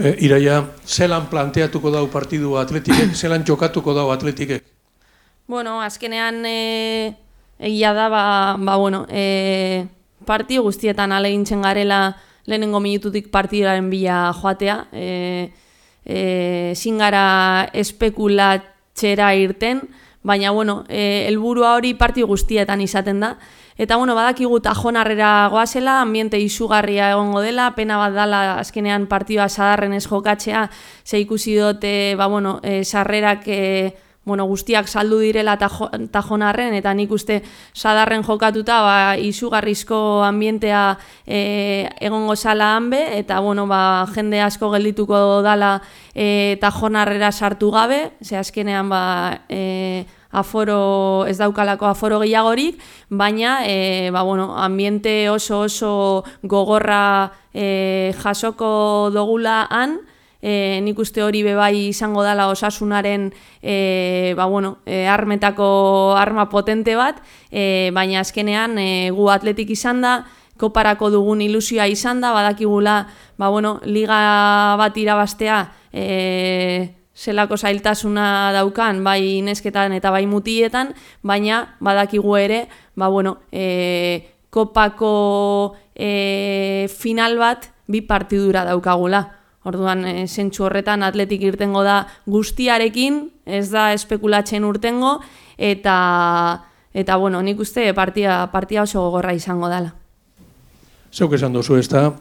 Iraia, zelan planteatuko dau partidu Atletikek, zelan jokatuko dau Atletikek? Bueno, azkenean egia da, partidu guztietan alegintzen garela lehenengo minututik partidaren bila joatea. Ezin gara espekulatxera irten, baina helburua hori partidu guztietan izaten da. Eta badakigu Tajonarrera goazela, ambiente izugarria egongo dela, pena bat dala azkenean partidua sadarren ez jokatzea, ze ikusi dute sarrerak guztiak saldu direla Tajonarren, eta nik uste sadarren jokatuta izugarrizko ambientea egongo zala hanbe, eta jende asko geldituko dala Tajonarrera sartu gabe, ze azkenean aforo ez daukalako aforo gehiagorik, baina ambiente oso gogorra jasoko dogula han. Nik uste hori bebai izango dala Osasunaren armetako arma potente bat, baina azkenean gu Atletik izan da, koparako dugun ilusioa izan da, badakigula liga bat irabaztea zelako zailtasuna daukan, bai nesketan eta bai mutietan, baina badakigu ere kopako final bat bi partidura daukagula. Orduan, zentsu horretan Atletik irtengo da guztiarekin, ez da espekulatzen urtengo, eta nik uste partia oso gogorra izango dela. Zeuk esan dozu ez da,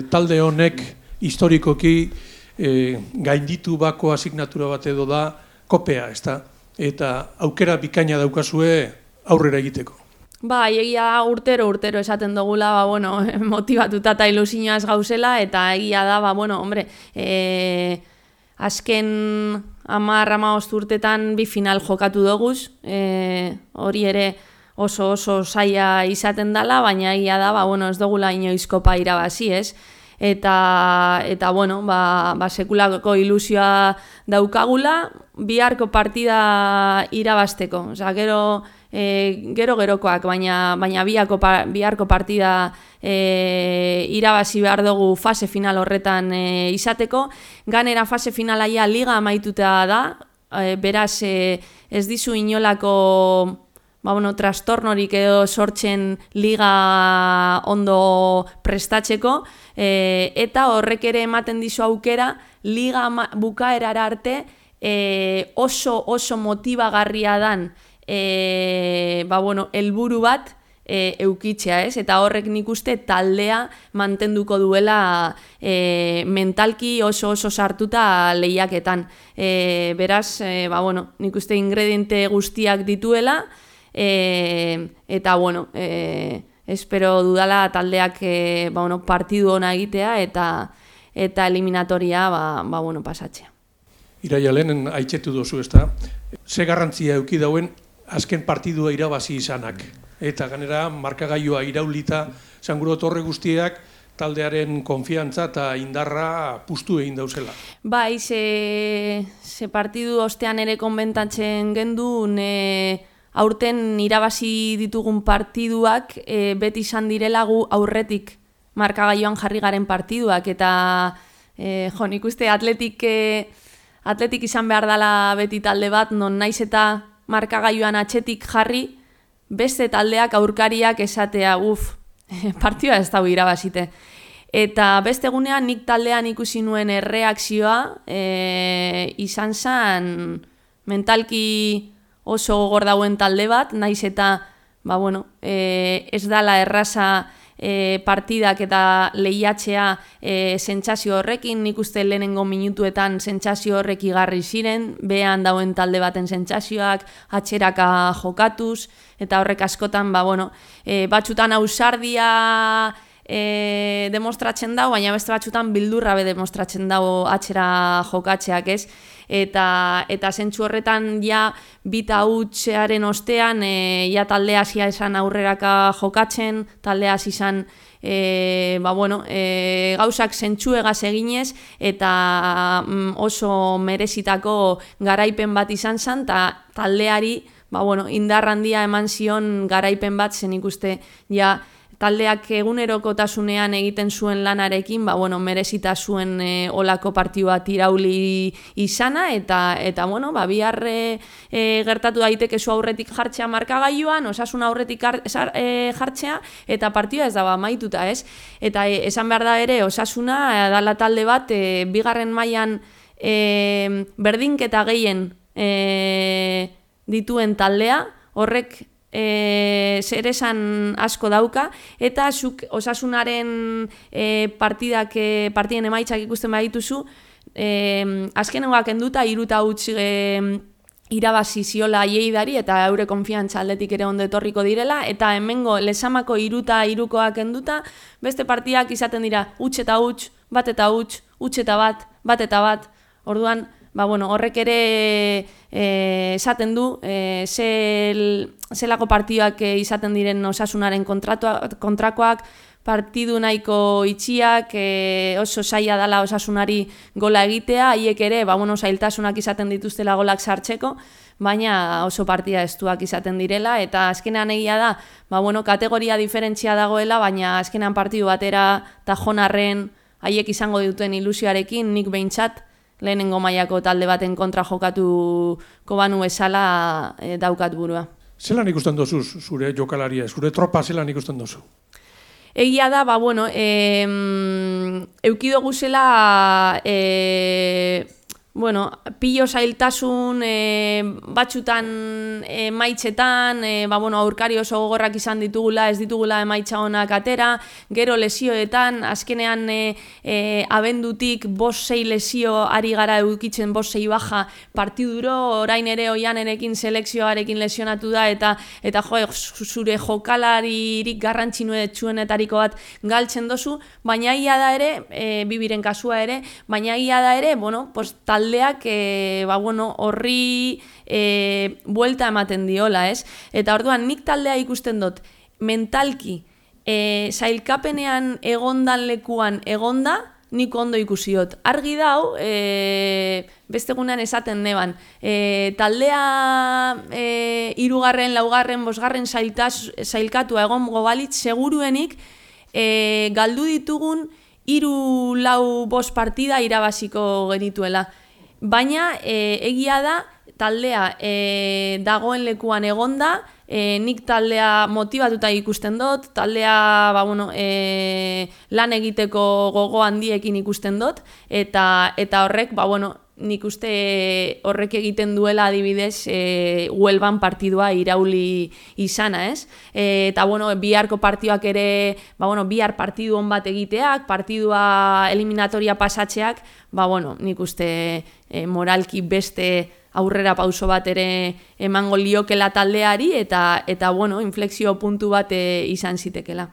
talde honek historikoki gainditu bako asignatura bat edo da kopea, ez da? Eta aukera bikaina daukazue aurrera egiteko. Egia urtero esaten dugula, motivatuta eta ilusioaz gauzela, eta egia da, azken 10-15 urtetan bi final jokatu doguz, hori ere oso zaila izaten dela, baina egia da, ez dugula inoiz kopa irabazi, ez? Eta sekulako ilusioa daukagula, biharko partida irabazteko. Gero-gerokoak, baina biharko partida irabazi behar dugu fase final horretan izateko. Ganera fase finalaia liga amaituta da, beraz ez dizu inolako trastornorik edo sortzen liga ondo prestatzeko, eta horrek ere ematen dizu aukera liga bukaerara arte oso motibagarria dan helburu bat eukitzea, ez? Eta horrek nik uste taldea mantenduko duela mentalki oso sartuta lehiaketan. Beraz, nik uste ingrediente guztiak dituela, eta espero dudala taldeak partidu ona egitea eta eliminatoria pasatzea. Iraia, lehenen aitzetu dozu ez da, ze garrantzia euki dauen azken partidua irabazi izanak. Eta ganera markagailua iraulita, zanguro torre guztiak taldearen konfiantza eta indarra puztu egin dauzela. Ze partidu ostean ere konbentatzen gendun, aurten irabazi ditugun partiduak beti izan direla gu aurretik markagailuan jarri garen partiduak, eta nik uste Atletik izan behar dela beti talde bat, non naiz eta markagailuan atzetik jarri, beste taldeak aurkariak esatea, partidua ez dago irabazite. Eta beste egunean nik taldean ikusi nuen erreakzioa izan zen mentalki oso gogor dauen talde bat, naiz eta ez dala erraza partidak eta lehiatzea sentsazio horrekin, nik uste lehenengo minutuetan sentsazio horrek igarri ziren, behan dauen talde baten sentsazioak, atxeraka jokatuz, eta horrek askotan batzutan ausardia demostratzen dago, baina beste batzutan bildurra demostratzen dago atxera jokatzeak, ez? Eta zentzu horretan bita hutsearen ostean taldea hasia esan aurreraka jokatzen, taldea hasi izan gauzak zentzuegaz eginez, eta oso merezitako garaipen bat izan zen, eta taldeari indar handia eman zion garaipen bat, zen ikuste taldeak egunerokotasunean egiten zuen lanarekin, bueno, merezita zuen olako partidu bat irauli izana, eta bueno, bihar gertatu daiteke zu aurretik jartzea markagailuan, Osasuna aurretik jartzea, eta partida ez da amaituta, ez? Eta esan behar da ere, Osasuna dala talde bat, bigarren mailan berdinketa gehien dituen taldea, horrek zer esan asko dauka, eta zuk Osasunaren partiden emaitzak ikusten badituzu, azkenengoak enduta 3-0 irabazi ziola Lleidari, eta eure konfiantza aldetik ere ondo etorriko direla, eta hemengo Lezamako 3-3koak enduta, beste partidak izaten dira huts eta huts, bat eta huts, huts eta bat eta bat, orduan, bueno, horrek ere esaten du zelako partiduak izaten diren Osasunaren kontrakoak, partidu nahiko itxiak, oso zaila dela Osasunari gola egitea, haiek ere, zailtasunak izaten dituztela golak sartzeko, baina oso partida estuak izaten direla, eta azkenean egia da, kategoria diferentzia dagoela, baina azkenean partidu batera tajonarren haiek izango duten ilusioarekin, nik behintzat, lehenengo mailako talde baten kontra jokatuko banu bezala daukat burua. Zelan ikusten dozu zure jokalaria, zure tropa zelan ikusten dozu? Egia da, eukidogu zela, pilo zailtasun batxutan emaitzetan, aurkari oso gogorrak izan ditugula, ez ditugula emaitza honak atera, gero lesioetan, azkenean abendutik 5-6 lesio ari gara eukitzen 5-6 baja partiduro, orain ere Oianerekin selekzioarekin lesionatu da, eta zure jokalaririk garrantzitsuenetariko bat galtzen dozu, baina ia da ere, bibiren kasua ere, baina ia da ere, taldeak horri buelta ematen diola, ez? Eta orduan nik taldea ikusten dut mentalki zailkapenean egondan lekuan egonda, nik ondo ikusiot. Argi dau, beste egunean esaten neban, taldea 3., 4., 5. zailkatua egongo balitz, seguruenik galdu ditugun 3-4 partida irabaziko genituela. Baina egia da, taldea dagoen lekuan egonda, nik taldea motibatuta ikusten dut, taldea lan egiteko gogo handiekin ikusten dut, eta horrek, nik uste horrek egiten duela adibidez Huelban partidua irauli izana, ez? Eta biharko partiduak ere, bihar partidu on bat egiteak, partidua eliminatoria pasatzeak, nik uste moralki beste aurrera pauso bat ere emango liokela taldeari, eta inflexio puntu bat izan zitekela.